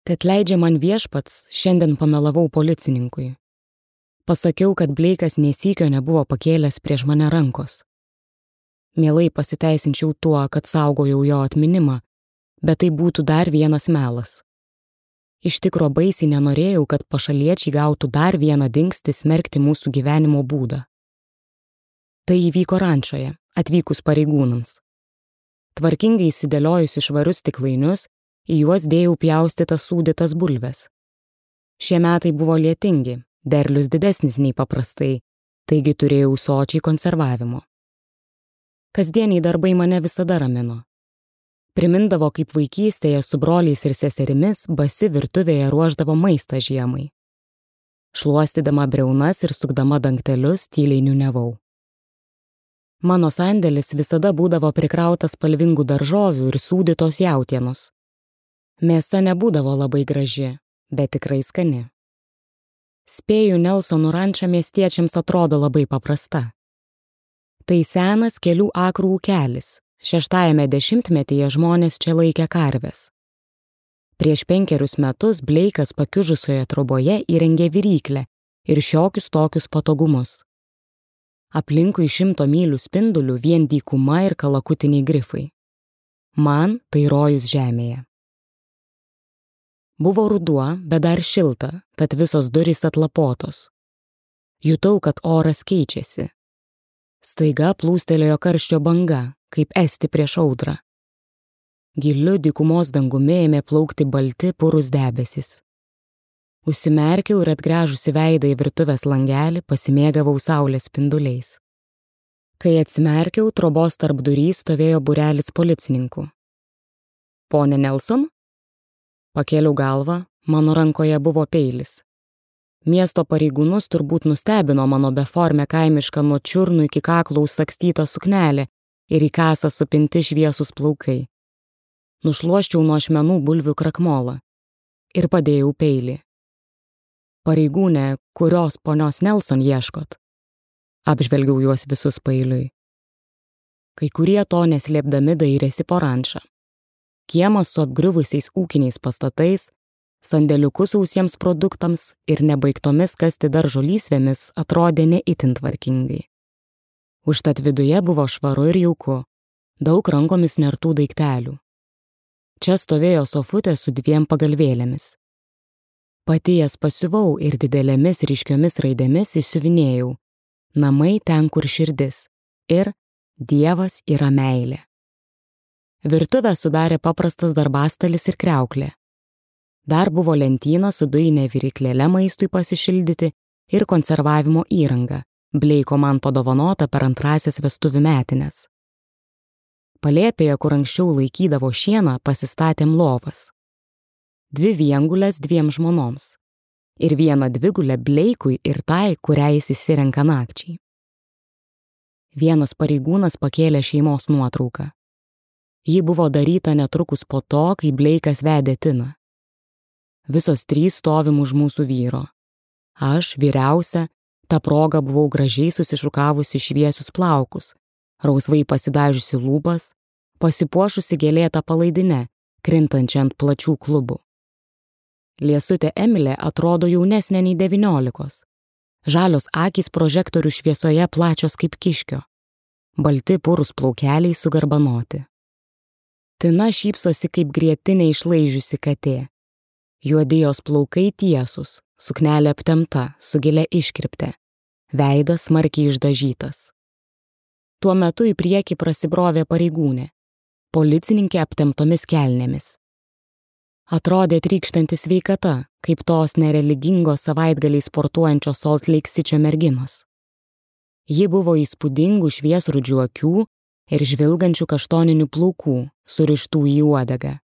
Tad leidžia man viešpats, šiandien pamelavau policininkui. Pasakiau, kad Bleikas nė sykio nebuvo pakėlęs prieš mane rankos. Mielai pasiteisinčiau tuo, kad saugojau jo atminimą, bet tai būtų dar vienas melas. Iš tikro baisiai nenorėjau, kad pašaliečiai gautų dar vieną dingstį smerkti mūsų gyvenimo būdą. Tai įvyko rančoje, atvykus pareigūnams. Tvarkingai įsidėliojus švarius stiklainius, į juos dėjau pjaustytas sūdytas bulves. Šie metai buvo lietingi, derlius didesnis nei paprastai, taigi turėjau sočiai konservavimo. Kasdieniai darbai mane visada ramino. Primindavo, kaip vaikystėje su broliais ir seserimis basi virtuvėje ruošdavo maistą žiemai. Šluostydama briaunas ir sukdama dangtelius tyliai niūniavau. Mano sandėlis visada būdavo prikrautas spalvingų daržovių ir sūdytos jautienos. Mėsa nebūdavo labai graži, bet tikrai skani. Spėju, Nelsonų ranča miestiečiams atrodo labai paprasta. Tai senas kelių akrų ūkelis. 6-ajame dešimtmetyje žmonės čia laikė karves. Prieš 5 metus Bleikas pakiužusioje troboje įrengė viryklę ir šiokius tokius patogumus. Aplinkui 100 mylių spindulių vien dykuma ir kalakutiniai grifai. Man tai rojus žemėje. Buvo ruduo, bet dar šilta, tad visos durys atlapotos. Jutau, kad oras keičiasi. Staiga plūstelėjo karščio banga, kaip esti prieš audrą. Giliu dykumos dangumi ėmė plaukti balti purūs debesis. Užsimerkiau ir atgręžusi veidą į virtuvės langelį pasimėgavau saulės spinduliais. Kai atsimerkiau, trobos tarpdury stovėjo būrelis policininkų. Pone Nelson? Pakėliau galvą, mano rankoje buvo peilis. Miesto pareigūnus turbūt nustebino mano beformę kaimišką nuo čiurnų iki kaklo užsakstytą suknelę ir į kasą supinti šviesus plaukai. Nušluoščiau nuo ašmenų bulvių krakmolą ir padėjau peilį. Pareigūnė, kurios ponios Nelson ieškot? Apžvelgiau juos visus paeiliui. Kai kurie to neslėpdami dairėsi po rančą. Kiemas su apgriuvusiais ūkiniais pastatais, sandėliukus sausiems produktams ir nebaigtomis kasti daržo lysvėmis atrodė ne itin tvarkingai. Užtat viduje buvo švaru ir jauku, daug rankomis nertų daiktelių. Čia stovėjo sofutė su 2 pagalvėlėmis. Pati jas pasiuvau ir didelėmis ryškiomis raidėmis įsiuvinėjau: namai ten, kur širdis ir Dievas yra meilė. Virtuvę sudarė paprastas darbastalis ir kriauklė. Dar buvo lentyna su dujine viryklėle maistui pasišildyti ir konservavimo įranga, Bleiko man padovanota per 2 vestuvių metines. Palėpėje, kur anksčiau laikydavo šieną, pasistatėm lovas. 2 viengulės 2 žmonoms ir 1 dvigulę Bleikui ir tai, kurią jis įsirenka nakčiai. Vienas pareigūnas pakėlė šeimos nuotrauką. Ji buvo daryta netrukus po to, kai Bleikas vedė Tiną. Visos 3 stovim už mūsų vyro. Aš, vyriausia, ta proga buvau gražiai susišukavusi šviesius plaukus, rausvai pasidažiusi lūpas, pasipuošusi gėlėtą palaidinę, krintančią ant plačių klubų. Liesutė Emilė atrodo jaunesnė nei 19. Žalios akys prožektorių šviesoje plačios kaip kiškio. Balti purūs plaukeliai sugarbanoti. Tina šypsosi kaip grietinė išlaižiusi katė. Juodi jos plaukai tiesus, suknelė aptempta, su gilia iškirpte, veidas smarkiai išdažytas. Tuo metu į priekį prasibrovė pareigūnė, policininkė aptemptomis kelnėmis. Atrodė trykštanti sveikata, kaip tos nereligingos savaitgaliai sportuojančios Salt Lake City merginos. Ji buvo įspūdingų šviesrudžių akių ir žvilgančių kaštoninių plaukų, surištų į uodegą.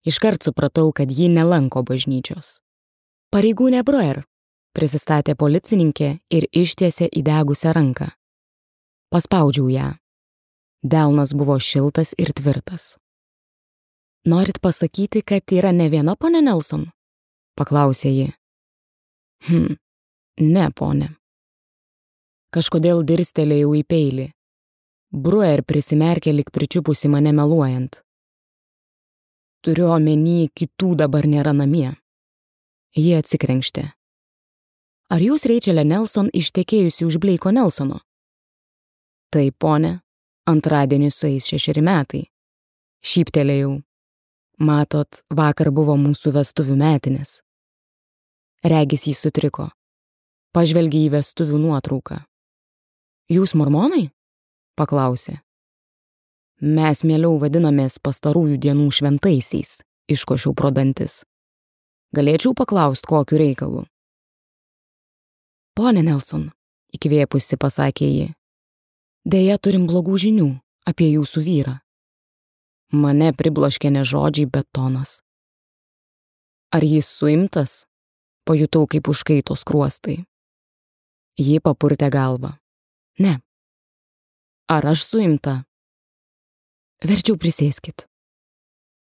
Iškart supratau, kad ji nelanko bažnyčios. Pareigūnė Bruer, prisistatė policininkė ir ištiesė įdegusią ranką. Paspaudžiau ją. Delnas buvo šiltas ir tvirtas. Norit pasakyti, kad yra ne viena ponė Nelson? Paklausė ji. Ne, ponė. Kažkodėl dirstelėjau į peilį. Bruer prisimerkė lyg pričiupusi mane meluojant. Turiu omeny, kitų dabar nėra namie. Ji atsikrenkštė. Ar jūs, Rachelė Nelson, ištekėjusi už Blake'o Nelsono? Taip, ponė, antradienį sueis 6 metai. Šyptelėjau. Matot, vakar buvo mūsų vestuvių metinės. Regis jį sutriko. Pažvelgė į vestuvių nuotrauką. Jūs mormonai? Paklausė. Mes mieliau vadinamės pastarųjų dienų šventaisiais, iškošiau pro dantis. Galėčiau paklaust, kokiu reikalu. Pone Nelson, įkvėpusi pasakė ji. Deja, turim blogų žinių apie jūsų vyrą. Mane pribloškė ne žodžiai, bet tonas. Ar jis suimtas? Pajutau, kaip užkaito skruostai. Ji papurtė galvą. Ne. Ar aš suimta? Verčiau prisėskit.